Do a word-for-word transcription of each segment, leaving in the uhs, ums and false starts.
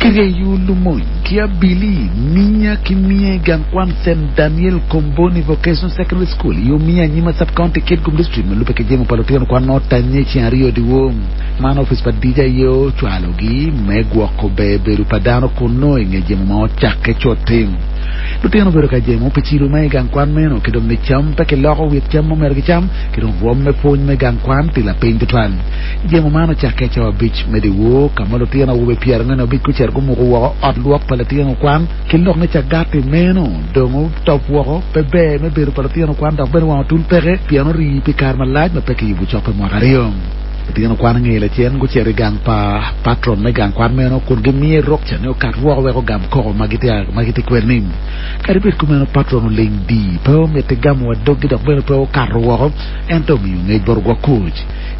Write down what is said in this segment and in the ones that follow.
Kiryeyo lumony ki abili miya ki miya i gang kwan St Daniel Comboni Vocational Secondary School i Omiya Nyima Sub-County Kitgum District ma lubbe ki jemo pa lutino kwan ma otanye ceng aryo dyewor. Man office pa DJ aye ocwalogi me gwoko ber bedo pa dano kun nongo i nge jemo ma ocakke cut-ti. Lutino obedo ka jemo pi cilo ma i gang kwan meno ki dong ni cam pe kiloko wit cam ma omyero gicam ki dong rwom me pwony me gang kwan tye lapiny tutwal. Jemo man ocakke i cawa abic me dyewor ka ma lutino awobe pyerangwen abic gucito gumuko woko ot lwok pa litino kwan ki lok ni cagati meno dong otop woko pe ber me bedo pa lutino kwan dok bene wang otul peke pien orii pi kare malac ma pe kiyubo cok pi mwaka aryo. Lutino kwan nge lacen gucito i gang pa patron me gang kwan meno kun gimiye rukca ni okat woko wek ogam koko ma gitye kwede-ni. Kadi bed kumeno patron oling di pe omiti gamo wa doggi dok bene pe okato woko ento omiyo ngec bot ogwok kuc.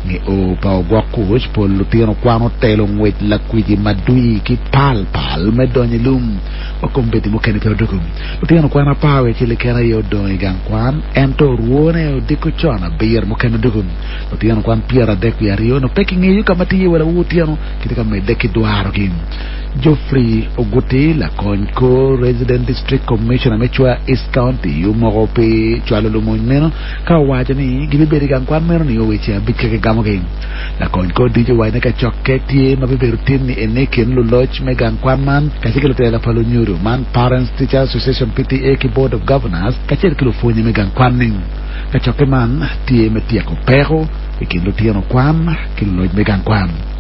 Nge o pa ogwok kuc pol lutino kwan otelo ngwec lakwiji madwi ki pal pal me donyo i lum wa kombeddi mukene pe odoko. Lutino kwan apar wiye acel keken aye odong i gang kwan ento orwone odiko con abiro mukene odoko. Lutino kwan pyeradek wiye aryo no pe kingeyo ka ma tye iye wa lawor otyeno kitye ka medde ki dwarogi. Geoffrey Oguti lakony kor Resident District Commissioner me Chwa East County omoko pi cwalo lumony meno ka owaco ni gibibedo i gang kwan meno nio weche abic ka kigamogi. Lakony kor dic owaco ni kacokke tye ma bibedo tin ni ene i kin luloc me gang kwan man kacel ki lutela pa lunyodo man Parents Teacher Association PTA ki Board of Governors kacel ki lupwonye me gang kwan-ni. Kacokke man tye me tyeko peko i kin lutino kwan ki luloc me gang kwan.